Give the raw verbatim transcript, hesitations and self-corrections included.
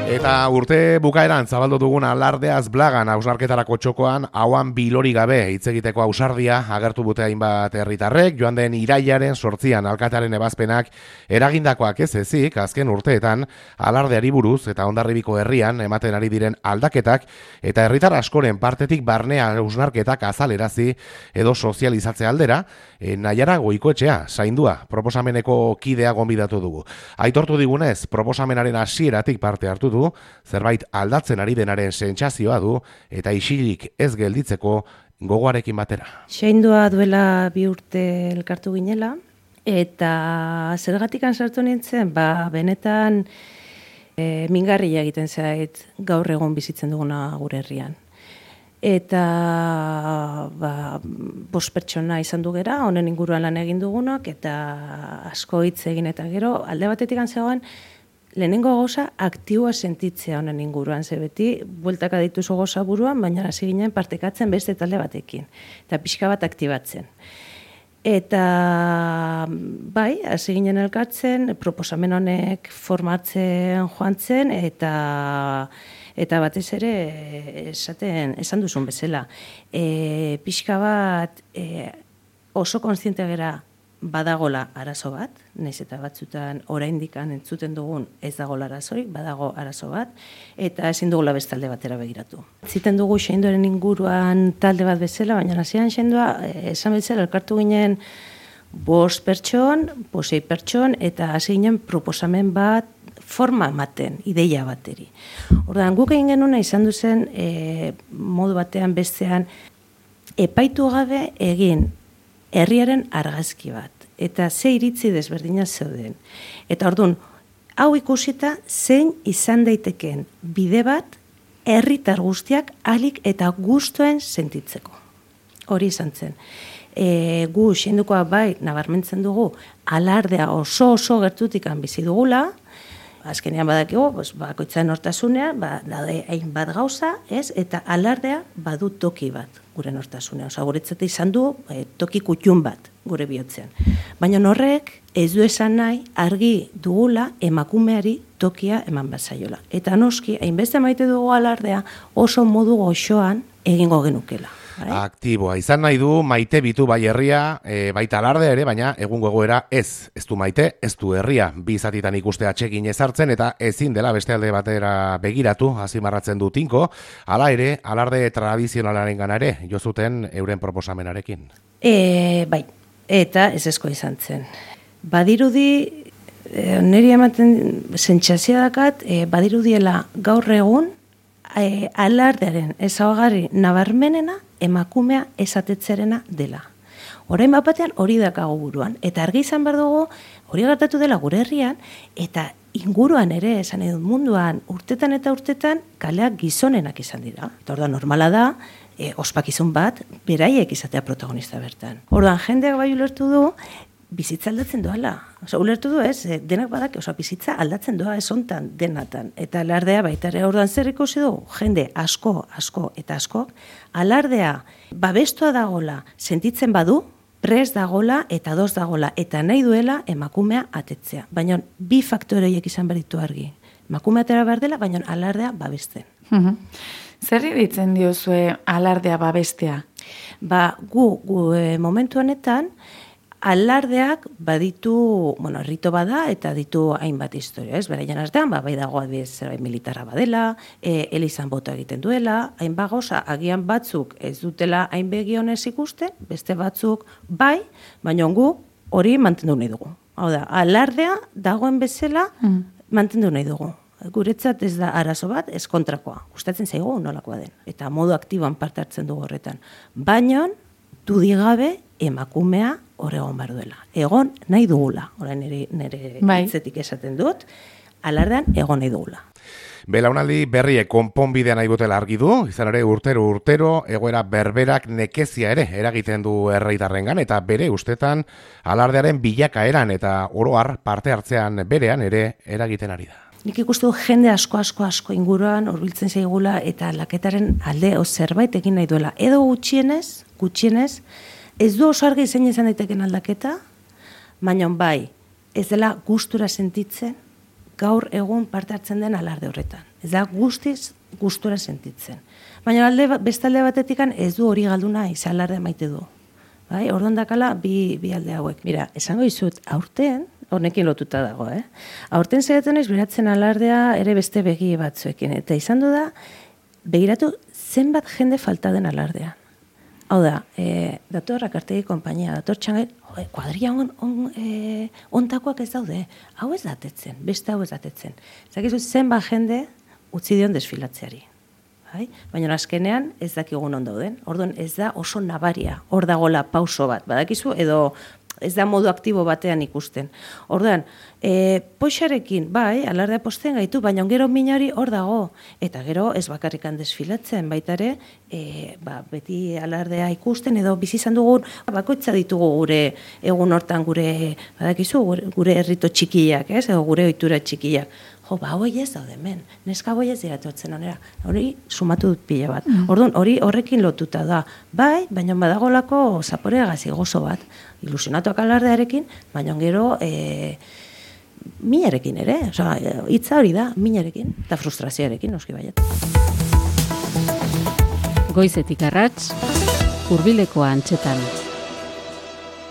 Eta urte bukaeran zabaldu dugun alardeaz blagan hausnarketarako txokoan hauan bilori gabe hitz egiteko ausardia agertu dute hainbat herritarrek. Joan den irailaren sortzian alkatearen ebazpenak eragindakoak ez ezik azken urteetan alardeari buruz eta Hondarribiko herrian ematen ari diren aldaketak eta herritar askoren partetik barnea hausnarketak azalerazi edo sozializatze aldera e, Naiara Goikoetxea zaindua proposameneko kidea gonbidatu dugu. Aitortu digunez proposamenaren hasieratik parte hartu du, zerbait aldatzen ari denaren sentsazioa du eta isilik ez gelditzeko gogoarekin batera. Zaindua duela bi urte elkartu ginela eta zergatikan sartu nintzen, ba benetan e, mingarria egiten zait gaur egun bizitzen duguna gure herrian. Eta ba, bost pertsona izan du gera, honen inguruan lan egin dugunak, eta asko hitz egin eta gero, alde batetik zegoen, lehenengo gauza aktiboa sentitzea honen inguruan, ze beti, bueltaka dituzu gauza buruan, baina hasi ginen partekatzen beste talde batekin, eta pixka bat aktibatzen. Eta bai, hasi ginen elkartzen, proposamen honek formatzen joan zen, eta eta batez ere esaten esan duzun bezala. E, pixka bat e, oso kontziente gera badagola arazo bat, naiz eta batzutan oraindikan entzuten dugun ez dagola arazorik, badago arazo bat, eta ezin dugula bestalde batera begiratu. Ziten dugu Xeindoren inguruan talde bat bezala, baina hasieran Xeindoa esan bezala elkartu ginen bost pertson, posei pertson, eta hasi ginen proposamen bat forma ematen, ideia bateri. Orduan, guk egin genuna izan duzen e, modu batean bestean epaitu gabe egin herriaren argazki bat, eta ze iritzi desberdina zeuden. Eta orduan, hau ikusita zein izan daiteken bide bat herritar guztiak ahalik eta gustuen sentitzeko. Hori izan zen. E, gu Xeindukoa bai nabarmentzen dugu alardea oso oso gertutikan bizi dugula, azkenean badakigu, pues, bakoitzaren hortasunean, ba, daude hainbat gauza, ez? Eta alardea badu toki bat gure nortasunean. Osa, guretzat izan du e, toki kutxun bat gure bihotzean. Baina horrek ez du esan nahi argi dugula emakumeari tokia eman bazaiola. Eta noski, hainbeste maite dugu alardea oso modu goxoan egingo genukela. Aktiboa izan nahi du maite bitu bai herria, e, baita alardea ere, baina egungo egoera ez. Ez du maite, ez du herria. Bi zatitan ikuste atsekin ezartzen eta ezin dela beste alde batera begiratu, azimarratzen du Tinko. Hala ere, alarde tradizionalaren gana ere, jo zuten euren proposamenarekin. E, bai, eta ez esko izan zen. Badirudi, e, niri ematen sentsazioa dakat, e, badirudiela gaur egun, e, alardearen ezaugarri nabarmenena emakumea esatetzerena dela. Orain bat batean hori dakago buruan, eta argi izan behar dugu hori gertatu dela gure herrian, eta inguruan ere, esan edut munduan, urtetan eta urtetan kaleak gizonenak izan dira. Eta orduan normala da, e, ospakizun bat, beraiek izatea protagonista bertan. Orduan jendeak bai ulertu du, bizitza aldatzen doala. Osa, ulertu du ez, denak badak, osa, bizitza aldatzen doa ez hontan, denatan. Eta alardea baita ere orduan zer ikusi du, jende asko, asko eta askok, alardea babestua dagola sentitzen badu, prest dagola eta doz dagola, eta nahi duela emakumea atetzea. Baina bi faktore horiek izan behar ditu argi. Emakumea atera behar dela, baina alardea babesten. Mm-hmm. Zer ditzen diozue alardea babestea? Ba, gu, gu e, momentu honetan, alardeak baditu, bueno, rito bada eta ditu hainbat historia, ez? Beraian artean, ba, bai dago adibidez zerbait militarra badela, e, elizan bota egiten duela, hainbat gauza, agian batzuk ez dutela hain begionez ikusten, beste batzuk bai, baina gu hori mantendu nahi dugu. Hau da, alardea dagoen bezala mm. mantendu nahi dugu. Guretzat ez da arazo bat, ez kontrakoa. Gustatzen zaigu nolakoa den. Eta modu aktiboan parte hartzen dugu horretan. Baina, dudigabe emakumea hor egon behar duela. Egon nahi dugula. Orain nire, nire bai. Hitzetik esaten dut, alardean egon nahi dugula. Belaunaldi berriek konponbidea nahi botela argi du, izan ere urtero urtero egoera berberak nekezia ere eragiten du herritarrengan eta bere ustetan alardearen bilakaeran eta oro har parte hartzean berean ere eragiten ari da. Nik ikustu jende asko asko asko inguruan hurbiltzen zaigula eta laketaren alde o zerbait egin nahi duela. Edo gutxienez, gutxienez, ez du oso argi zein izan daiteken aldaketa, baina bai, ez dela gustura sentitzen gaur egun parte hartzen den alarde horretan. Ez da guztiz gustura sentitzen. Baina alde, bestalde batetikan ez du hori galduna izan alarde maite du. Bai, orduan dakala bi, bi alde hauek. Mira, esango izut, aurten, honekin lotuta dago, eh? Aurten zaitzen ez beratzen alardea ere beste begi batzuekin. Eta izan du da, begiratu zenbat jende falta den alardean. Hau da, e, dator Rakartegi konpainia, dator txangai, kuadria on, on, e, ontakoak ez daude. Hau ez datetzen, beste hau ez datetzen. Zakizu zenbat jende utzi dion desfilatzeari. Bai? Baina azkenean ez dakigun on dauden. Orduan ez da oso nabaria. Hor dagola pauso bat, badakizu, edo ez da modu aktibo batean ikusten. Orduan, e, poixarekin, bai, alardea posten gaitu, baina gero minari hor dago. Eta gero ez bakarrikan desfilatzen, baita ere, e, ba, beti alardea ikusten, edo bizi izan dugun, bakoitza ditugu gure egun hortan gure, badakizu, gure, gure herrito txikiak, ez? Edo gure ohitura txikiak. Jo, ba, hoi ez daude hemen, neska hoi ez diratotzen onera. Hori sumatu dut pila bat. Mm. Orduan, hori horrekin lotuta da. Bai, baina badagolako zaporea gazi gozo bat. Ilusionatuak alardearekin, baina gero e, minarekin ere. Osa, hitza hori da, minarekin, eta frustrazioarekin, noski baiet. Goizetik arrats, Hurbileko Antxetan.